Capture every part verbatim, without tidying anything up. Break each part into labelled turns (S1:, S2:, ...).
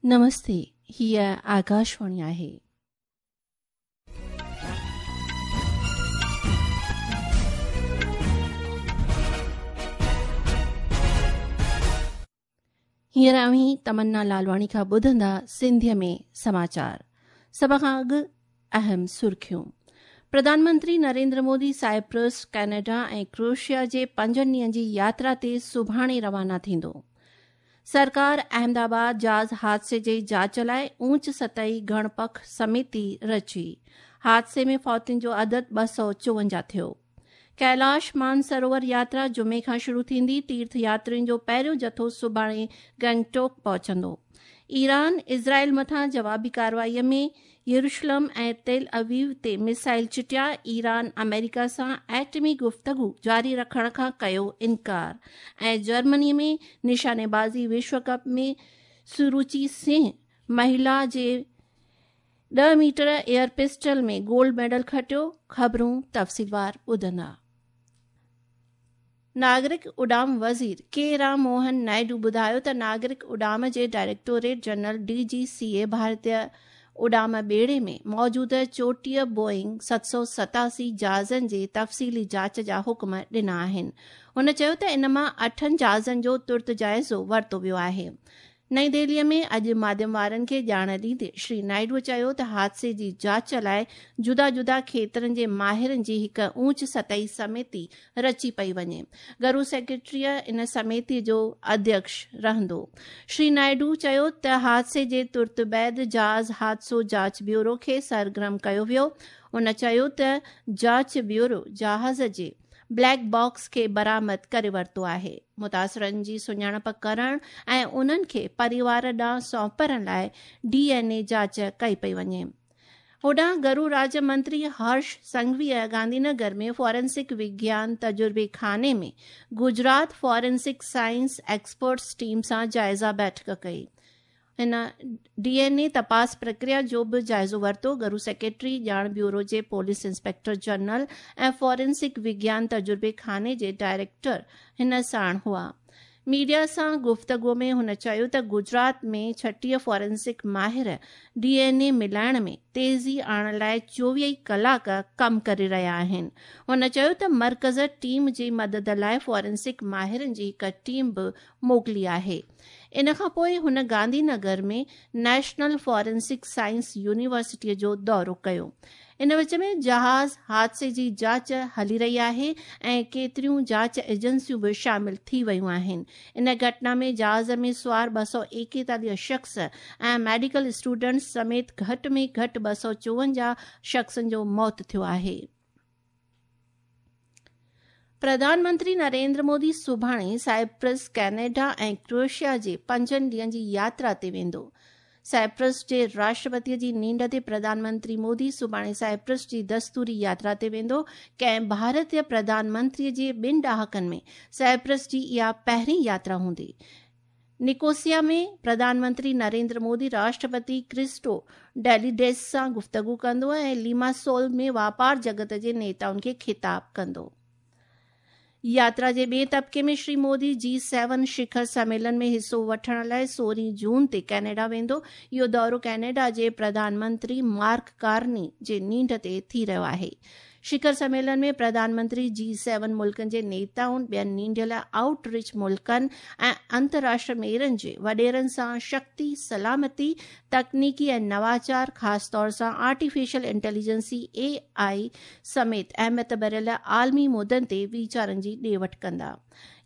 S1: नमस्ते, हीअ आकाशवाणी आहे। हींअर अव्हीं तमन्ना लालवाणी खां ॿुधंदा सिंधीअ में समाचार। सभ खां अॻु अहम सुर्खियूं। प्रधानमंत्री नरेंद्र मोदी साइप्रस, कनाडा ऐं क्रोएशिया जे पंजनि ॾींहनि जी यात्रा ते सुभाणे रवाना थींदो। सरकार अहमदाबाद जहाज़ हादसे जी जांच लाइ ऊंच सतही गणपख समिति रची। हादसे में फौतियुनि जो अदद ॿ सौ चोवंजाह थियो। कैलाश मानसरोवर यात्रा जुमे खां शुरू थींदी। तीर्थ यात्रियुनि जो पहिरियों जथो सुभाणे गैंगटोक पहुचंदो। ईरान इज़राइल मथां जवाबी कार्रवाईअ में यरूशलम ऐं तेल अवीव ते मिसाइल चिटिया। ईरान अमेरिका सां एटमी गुफ्तगू जारी रखण खां कयो इनकार। ऐं जर्मनी में निशानेबाज़ी विश्व कप में सुरुचि सिंह महिला जे ॾह मीटर एयर पिस्टल में गोल्ड मेडल खटियो। ख़बरूं तफ़सीलवार ॿुधंदा। नागरिक उॾाम वज़ीर के राम मोहन नायडू ॿुधायो त नागरिक उॾाम जे directorate general D G C ए भारतीय उॾाम ॿेड़े में मौजूद चोटीह बोइंग सत सौ सतासी जहाज़नि जे तफ़सीली जांच जा हुक्म ॾिना आहिनि। हुन चयो त इन मां अठनि जहाज़नि जो तुर्त जाइज़ो वरितो वियो आहे। नई दिल्लीअ में अॼु माध्यम वारनि खे ॼाण ॾींदे श्री नायडू चयो त हादसे जी जांच लाइ जुदा जुदा खेत्रनि जे माहिरनि जी हिकु ऊंच सतही समिति रची पई वञे। घरू सेक्रेटरीअ इन समिति जो अध्यक्ष रहंदो। श्री नायडू चयो त हादसे जे तुर्त बाद जहाज़ हादसो जांच ब्यूरो खे सरगर्म कयो वियो। हुन चयो त जांच ब्यूरो जहाज़ जे ब्लैक बॉक्स खे बरामद करे वरितो आहे। मुतासिरनि जी सुञाणप करण ऐं उन्हनि खे परिवार ॾांहुं सौंपण लाइ डी एन ए जांच कई पई वञे। होॾां घरू राज्य मंत्री हर्ष संघवीअ गांधीनगर में फॉरेंसिक विज्ञान तजुर्बे खाने में Gujarat forensic science experts team सां जाइज़ा बैठक कई। हिन डी एन ए तपास प्रक्रिया जो बि जाइज़ो वरितो। घरू सेक्रेटरी, ॼाण ब्यूरो जे पुलिस इंस्पेक्टर जनरल ऐं फॉरेंसिक विज्ञान तजुर्बे खाने जे डायरेक्टर हिन साण हुआ। मीडिया सां गुफ्तगू में हुन चयो त गुजरात में छटीह फॉरेंसिक माहिर डी एन ए मिलाइण में तेज़ी आणण लाइ चोवीह ई कलाक कमु करे रहिया आहिनि। हुन चयो त मर्कज़ टीम जी मदद लाइ फॉरेंसिक माहिरनि जी हिकु टीम बि मोकिली आहे। इन खां पोइ हुन गांधीनगर में नेशनल फॉरेंसिक साइंस यूनिवर्सिटीअ जो दौरो कयो। इन विच में जहाज़ हादसे जी जांच हली रही आहे ऐं केतिरियूं जांच एजेंसियूं बि शामिल थी वयूं आहिनि। इन घटना में जहाज़ में सुवार ॿ सौ एकेतालीह शख़्स ऐं मेडिकल स्टूडेंट्स समेत घटि में घटि ॿ सौ चोवंजाह शख़्सनि जो मौत थियो आहे। प्रधानमंत्री नरेंद्र मोदी सुभाणे साइप्रस, कनाडा ऐं क्रोएशिया जे पंजनि ॾींहनि जी यात्रा ते वेंदो। साइप्रस जे राष्ट्रपतीअ जी नींड ते प्रधानमंत्री मोदी सुभाणे साइप्रस जी दस्तूरी यात्रा ते वेंदो। कंहिं भारतीय प्रधानमंत्रीअ जे ॿिनि ॾहाकनि में साइप्रस जी इहा पहिरीं यात्रा हूंदी। निकोसिया में प्रधानमंत्री नरेंद्र मोदी राष्ट्रपति क्रिस्टो डेलिडेस सां गुफ्तगू कंदो ऐं लीमासोल में वापार जगत जे नेताउनि खे ख़िताब कंदो। यात्रा जे ॿिए तबिके में श्री मोदी जी सेवन शिखर सम्मेलन में हिसो वठण लाइ सोरहं जून ते कनाडा वेंदो। इहो दौरो कनाडा जे प्रधानमंत्री मार्क कार्नी जे नींड ते थी रहियो आहे। शिखर सम्मेलन में प्रधानमंत्री जी सेवन मुल्कनि जे नेताउनि, ॿियनि नींडियल आउटरीच मुल्कनि ऐं अंतर्राष्ट्रीय मेरनि जे वॾेरनि सां शक्ति, सलामती, तकनीकी ऐं नवाचार, ख़ासि तौर सां आर्टिफिशियल इंटेलिजेंसी ए आई समेत अहमियत भरियल आलमी मुद्दनि ते वीचारनि जी ॾे वठि कंदा।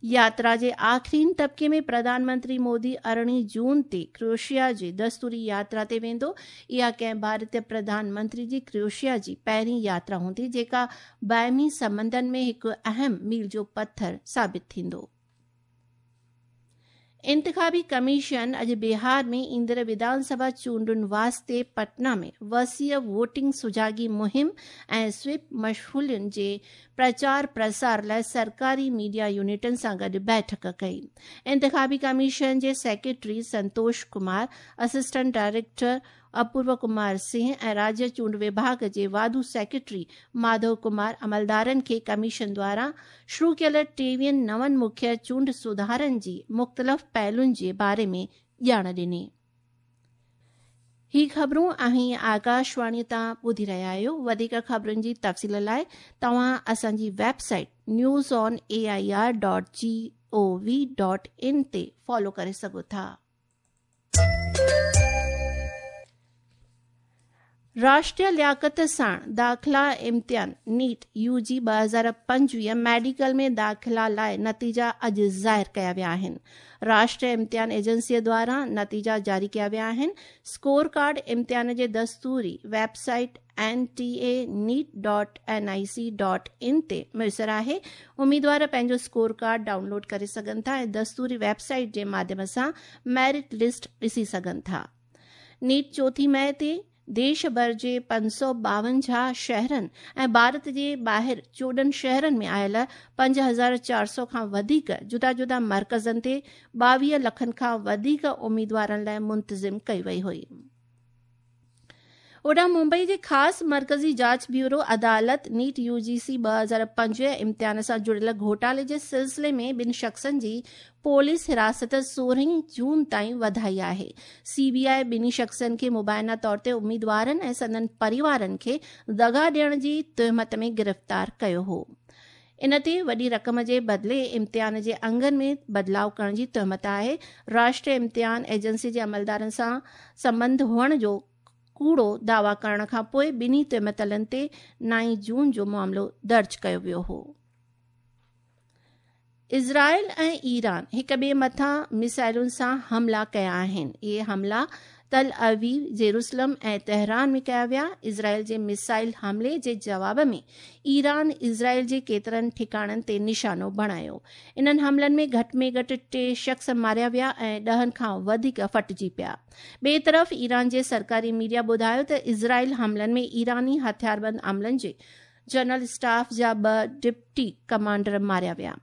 S1: यात्रा जे आख़िरीन तबिके में प्रधानमंत्री मोदी अरिड़हीं जून ते क्रोएशिया जे दस्तूरी यात्रा ते वेंदो। इहा कंहिं भारतीय प्रधानमंत्री जी क्रोएशिया जी पहिरीं यात्रा हूंदी, जेका बाहिमी संबंधनि में हिकु अहम मील जो पथर साबित थींदो। इंतिखाबी कमीशन अॼु बिहार में ईंदड़ विधानसभा चूंडुनि वास्ते पटना में वसीअ वोटिंग सुजागी मुहिम ऐं स्वीप मशहूलियुनि जे प्रचार प्रसार लाइ सरकारी मीडिया यूनिटनि सां गॾु बैठक कई। इंतिखाबी कमीशन जे secretary Santosh Kumar, assistant director Apurva Kumar Singh ऐं राज्य चूंड विभाग जे वाधू सेक्रेटरी माधव कुमार अमलदारनि खे कमीशन द्वारा शुरू कयल टेवीहनि नवनि मुख्य चूंड सुधारनि जी मुख़्तलिफ़ पहलुनि जे बारे में ॼाण ॾिनी। ही ख़बरूं अहीं आकाशवाणी तां ॿुधी रहिया आहियो। वधीक ख़बरुनि जी तफ़सील लाइ तव्हां असांजी website news on A I R dot G O V dot in ते फॉलो करे सघो था। राष्ट्रीय लियाकत साण दाख़िला इम्तिहान नीट you जी ॿ हज़ार पंजवीह मेडिकल में दाख़िला लाइ नतीजा अॼु ज़ाहिर कया विया आहिनि। राष्ट्रीय इम्तिहान एजेंसीअ द्वारा नतीजा जारी कया विया आहिनि। स्कोर कार्ड इम्तिहान जे दस्तूरी website N T A NEET dot N I C dot in ते मुयसर आहे। उम्मीदवार पंहिंजो स्कोर कार्ड डाउनलोड करे सघनि था ऐं दस्तूरी वेबसाइट जे माध्यम सां मेरिट लिस्ट ॾिसी सघनि था। नीट चोथी मई ते देश भर जे पंज सौ ॿावंजाह शहरनि ऐं भारत जे ॿाहिरि चोॾहं शहरनि में आयल पंज हज़ार चारि सौ खां वधीक जुदा जुदा मर्कज़नि ते ॿावीह लखनि खां वधीक उम्मीदवारनि लाइ मुंतज़िम कई वई हुई। होॾां मुंबई जे ख़ासि मर्कज़ी जांच ब्यूरो अदालत नीट you जी सी ॿ हज़ार पंजवीह इम्तिहान सां जुड़ियल घोटाले जे सिलसिले में ॿिनि शख़्सनि जी पुलिस हिरासत सोरहं जून ताईं वधाई आहे। सी बी I ॿिन्ही शख़्सनि खे मुबाइना तौर ते उम्मीदवारनि ऐं संदन परिवारनि खे दग़ा ॾियण जी तहमत में गिरफ़्तार कयो हो। इन ते वॾी रक़म जे बदिले इम्तिहान जे अंगनि में बदिलाव करण जी तहमत आहे। राष्ट्रीय इम्तिहान एजेंसी जे अमलदारनि सां संबंध हुअण जो कूड़ो दावा करण खां पोइ ॿिन्ही तहमतलनि ते नाइन जून जो मामिलो दर्ज कयो वियो हो। इज़राइल ऐं ईरान हिक ॿिए मथां मिसाइलुनि सां हमला कया आहिनि। इहे हमला तल अवीव, जेरूसलम ऐं तेहरान में कया विया। इज़राइल जे मिसाइल हमले जे जवाब में ईरान इज़राइल जे केतिरनि ठिकाणनि ते निशानो बणायो। इन्हनि हमलनि में घटि में घटि टे शख़्स मारिया विया ऐं ॾहनि खां वधीक फटिजी पिया। ॿिए तरफ़ ईरान जे सरकारी मीडिया ॿुधायो त इज़राइल हमलनि में ईरानी हथियारबंद अमलनि जे जनरल स्टाफ जा ॿ डिप्टी कमांडर मारिया विया।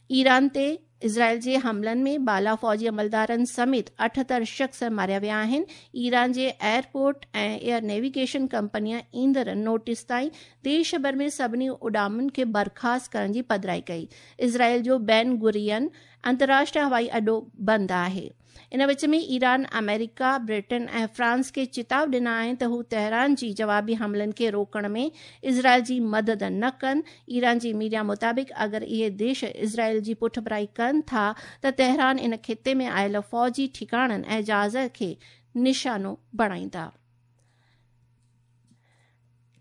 S1: ईरान ते इज़राइल जे हमलनि में बाला फ़ौजी अमलदारनि समेत अठहतरि शख़्स मारिया विया आहिनि। ईरान जे एयरपोर्ट ऐं एयर नेविगेशन कंपनीअ ईंदड़ नोटिस ताईं देश भर में सभिनी उॾामनि खे बर्खास्त करण जी पधराई कई। इज़राइल जो बैन गुरियन अंतर्राष्ट्रीय हवाई अॾो बंदि आहे। इन विच में ईरान अमेरिका, ब्रिटेन ऐं फ्रांस खे चिताव ॾिना आहिनि त हू तेहरान जी जवाबी हमलनि खे रोकण में इज़राइल जी मदद न कनि। ईरान जी मीडिया मुताबिक़ अगरि इहे देश इज़राइल जी पुठभराई कनि था त तेहरान इन ख़िते में आयल फ़ौजी ठिकाणनि ऐं जहाज़ खे निशानो बणाईंदा।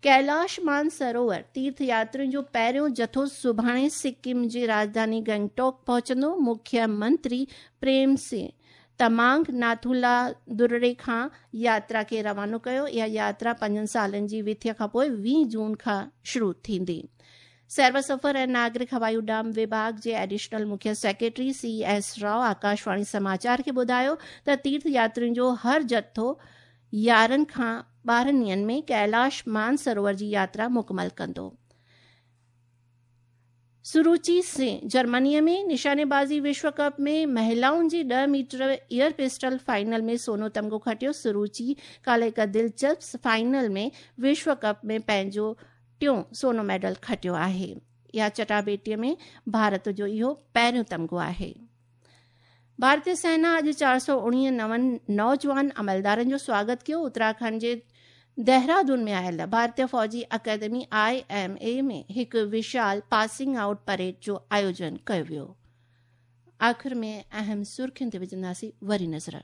S1: कैलाश मानसरोवर तीर्थ यात्रियुनि जो पहिरियों जथो सुभाणे सिक्किम जी राजधानी गंगटोक पहुचंदो। मुख्यमंत्री प्रेम सिंह तमांग नाथुला दुर्रे खां यात्रा खे रवानो कयो। इहा यात्रा पंजनि सालनि जी विथिय खां पोइ वीह जून खां शुरू थींदी। सैर सफ़र ऐं नागरिक हवाई उॾाम विभाग जे एडिशनल मुख्य secretary C S Rao Akashvani समाचार खे ॿुधायो त तीर्थ यात्रियुनि जो हर जथो यारहं खां ॿारहं ॾींहंनि में कैलाश मानसरोवर जी यात्रा मुकमल कंदो। सुरुचि सिंह जर्मनीअ में निशानेबाज़ी विश्व कप में महिलाउनि जी ॾह मीटर एयर पिस्टल फाइनल में सोनो तमगो खटियो। सुरुचि काल्ह हिकु दिलचस्प फाइनल में विश्व कप में पंहिंजो टियों सोनो मेडल खटियो आहे। इहा चटाबेटीअ में भारत जो इहो पहिरियों तमगो आहे। भारतीय सेना अॼु चारि सौ उणिवीह नवनि नौजवान अमलदारनि जो स्वागत कयो। उत्तराखंड जे देहरादून में आयल भारतीय फ़ौजी अकेदमी I M A में हिकु विशाल पासिंग आउट परेड जो आयोजन कयो वियो। आख़िर में अहम सुर्खियुनि ते विझंदासीं वरी नज़र।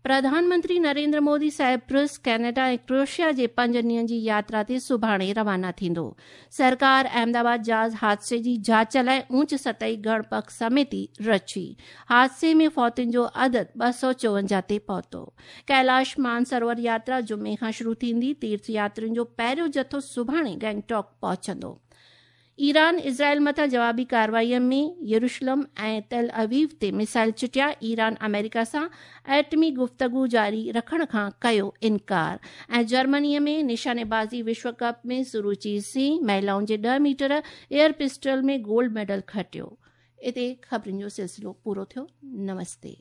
S1: प्रधानमंत्री नरेंद्र मोदी साइप्रस, कनाडा ऐं क्रोएशिया जे पंज ॾींहंनि जी यात्रा ते सुभाणे रवाना थींदो। सरकार अहमदाबाद जहाज़ हादसे जी जांच लाइ ऊंच सतही गणपक समिति रची। हादसे में फौतियुनि जो अदद ॿ सौ चोवंजाह ते पहुतो। कैलाश मानसरोवर यात्रा जुमे खां शुरू थींदी। तीर्थ यात्रियुनि जो पहिरियों जथो सुभाणे गैंगटॉक पहुचंदो। ईरान इज़राइल मथां जवाबी कार्रवाईअ में यरूशलम ऐं तेल अवीव ते मिसाइल चिटिया। ईरान अमेरिका सां एटमी गुफ्तगू जारी रखण खां कयो इनकार। ऐं जर्मनीअ में निशानेबाज़ी विश्व कप में सुरुचि सिंह महिलाउनि जे ॾह मीटर एयर पिस्टल में गोल्ड मेडल खटियो। हिते ख़बरुनि जो सिलसिलो पूरो थियो। नमस्ते।